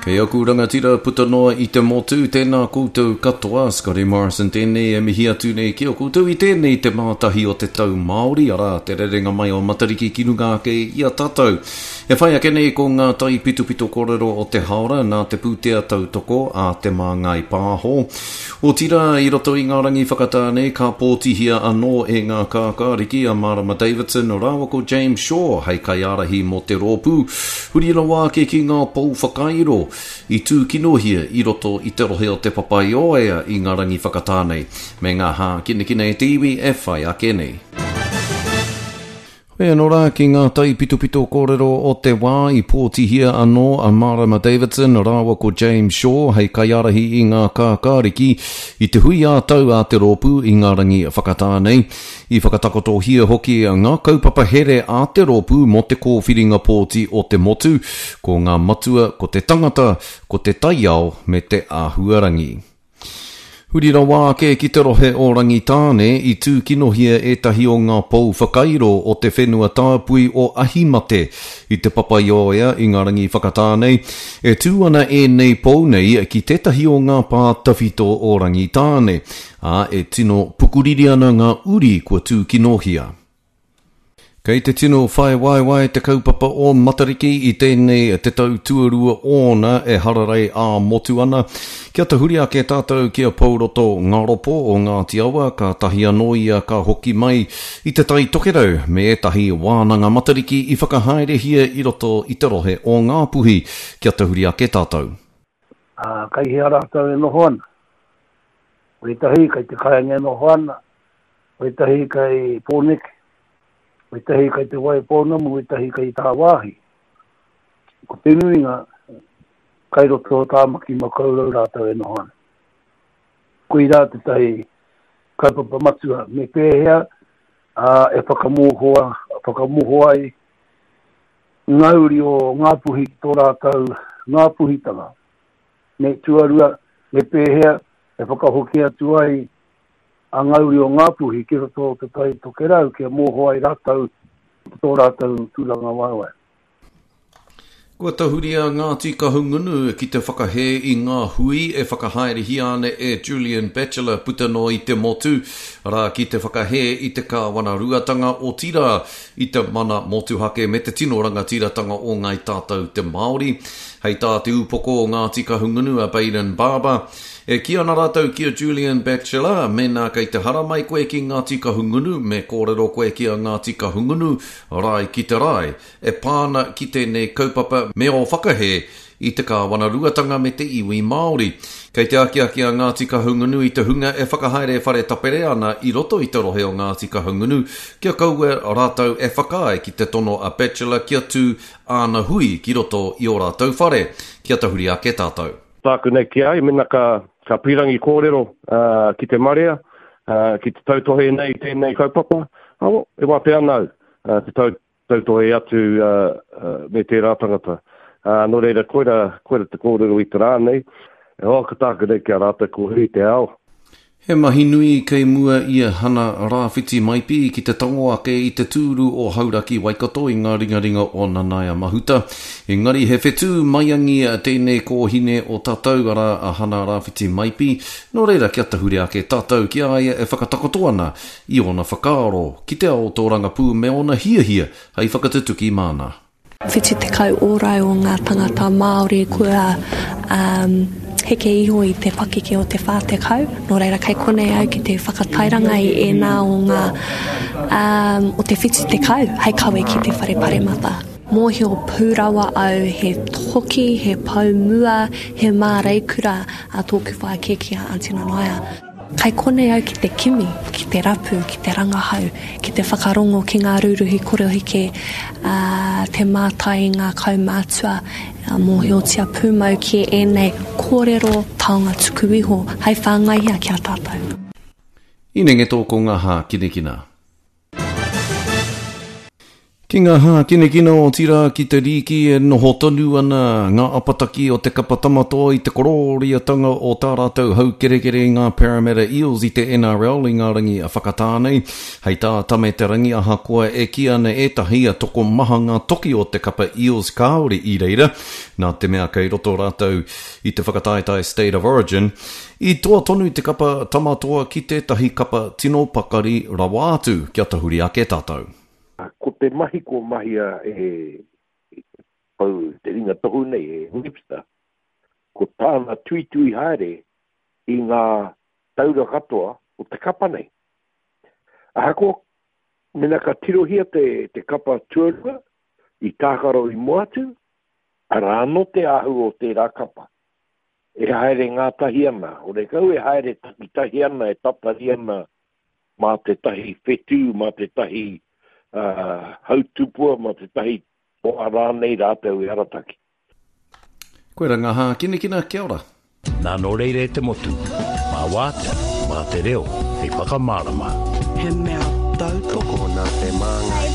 E aku rangatira puta noa i te motu, tēnā koutou katoa, Scotty Morrison tēnei e mihi atu nei ki a koutou i tēnei te mātahi o te tau Māori, arā, te rerenga mai o Matariki ki runga ake i a tātou. E whai ake nei ko ngā taipitopito kōrero o te haora nā te pūtea tautoko a Te Māngai Pāho. Otirā, i roto i ngā rangi whakatā nei ka pōtihia anō e ngā kākāriki a Marama Davidson rāua ko James Shaw hei kaiārahi mō te rōpū, huri rawa ake ki ngā pou whakairo i tūkinohia i roto i te rohe o Te Papaioea i ngā rangi whakatā nei, me ngā hākinakina e te iwi e whai ake nei. Hoi anō rā ki ngā taipitopito kōrero o te wā i pōtihia anō a Marama Davidson rāua ko James Shaw hei kaiārahi i ngā kākāriki i te hui ā-tau a te rōpū i ngā rangi whakatā nei. I whakatakotohia hoki ngā kaupapa here a te rōpū mō te kōwhiringa pōti o te motu, ko ngā matua ko te tangata, ko te taiao me te āhuarangi. Huri rawa ake ki te rohe o Rangitāne, i tūkinohia ētahi o ngā pou whakairo o te whenua tāpui o Ahimate i Te Papaioea i ngā rangi whakatā nei. E tū ana ēnei pou nei ki tētahi o ngā pā tawhito o Rangitāne, ā, e tino pukuriri ana ngā uri kua tūkinohia. Kei te tino whai waewae te kaupapa o Matariki i tēnei te tau tuarua ōna e hararei ā-motu ana. Kia tahuri ake tātou ki a Pouroto Ngaropo o Ngāti Awa, kātahi anō ia ka hoki mai i Te Tai Tokerau me ētahi wānanga Matariki i whakahaerehia i roto i te rohe o Ngāpuhi. Kia tahuri ake tātou. Ā, kei hea rātou e noho ana? Wētahi kei te kāinga e noho ana, wētahi kei Pōneke, wētahi kei Te Waipounamu, wētahi kei tāwāhi. Ko te nuinga, kai roto o Tāmaki Makaurau rātou e noho ana. Koirā tētahi kaupapa matua, me pēhea ā, e whakamōhoa, whakamoho ai ngā uri o Ngāpuhi ki tō rātou Ngāpuhitanga. Me tuarua, me pēhea e whakahoki atu ai a ngā uri o Ngāpuhi ki roto o Te Tai Tokerau kia mōho ai rātou ki tō rātou tūrangawaewae. Kua tahuri a Ngāti Kahungunu ki te whakahē i ngā hui e whakahaerehia ana e Julian Batchelor puta noa i te motu, arā, ki te whakahē i te kāwanaruatanga, otirā, i te mana motuhake me te tino rangatiratanga o Ngāi Tātou te Māori. Hei tā te ūpoko o Ngāti Kahungunu a Bayden Barber, E kī ana rātou ki a Julian Batchelor, mēnā kei te haramai koe ki Ngāti Kahungunu, me kōrero koe ki a Ngāti Kahungunu, rae ki te rae, e pā ana ki tēnei kaupapa me ō whakahē i te kāwanaruatanga me te iwi Māori. Kei te akiaki a Ngāti Kahungunu i te hunga e whakahaere whare tapere ana i roto i te rohe o Ngāti Kahungunu kia kaua rātou e whakaae ki te tono a Batchelor kia tū āna hui ki roto i ō rātou whare. Kia tahuri ake tātou. Tāku nei ki a ia, mēnā ka, ka pīrangi kōrero ki te marea, ki te tautohe nei i tēnei kaupapa, oh, e wātea ana au te tau, tautohe atu me tērā tangata. Nō reira, koira, koira te kōrero i te rā nei. E hoa, ko tāku nei ki a rātou, ko huri te ao. He mahi nui kei mua i a Hana Rāwhiti Maipi ki te tango ake i te tūru o Hauraki Waikato i ngā ringaringa o Nanaia Mahuta. Engari he whetū maiangi tēnei kōhine o tātou, arā, a Hana Rāwhiti Maipi, nō reira kia tahuri ake tātou ki a ia e whakatakoto ana i ōna whakaaro ki te ao tōrangapū me ōna hiahia hei whakatutuki māna. 70 ōrau o ngā tangata Māori kua um, heke iho i te pakeke o te 40. Nō reira, kei konei au ki te whakatairanga i ēnā o ngā um, o te 70 hei kawe ki te whare paremata. Mōhio pū rawa au he toki, he pou mua, he māreikura a tōku whaea kēkē a Aunty Nanaia. Kai konei au ki te kimi, ki te rapu, ki te rangahau, ki te whakarongo ki ngā rūruhi koroheke, ā, te mātai i ngā kaumātua, mōhiotia pūmau ki ēnei kōrero taonga tuku iho hai whāngaihia ki a tātou. Inenge tō ko ngā hākinakina. Ki ngā hākinakina otirā ki te rīki e noho tonu ana ngā apataki o te kapa Tamatoa i te korōriatanga o tā rātou haukerekere i ngā Parramatta Eels i te NRL i ngā rangi whakatā nei. Hei tā Tame Te Rangi ahakoa e kī ana ētahi tokomaha ngā toki o te kapa Eels kāore i reira nā te mea kei roto rātou i te whakataetae State of Origin, i toa tonu te kapa Tamatoa ki tētahi kapa tino pakari rawa atu kia tahuri ake tātou. Ko te mahi kua mahia e te pou, te ringa tohu nei, e Webster, ko tāna tuitui haere i ngā taura katoa o te kapa nei. Ahakoa, mena ka tirohia te, te kapa tuarua i tākaro i mua atu, arā anō te āhua o tērā kapa. E haere ngātahi ana, horekau e haere takitahi ana, e tatari ana mā tētahi whetū, mā tētahi hautupua, mā tētahi toa rānei rātou e arataki. Koira ngā hākinakina, kia ora. Nā nō reira e te motu, mā wātea, mā te reo hei whakamārama. He mea tautoko. Tokona te māngai.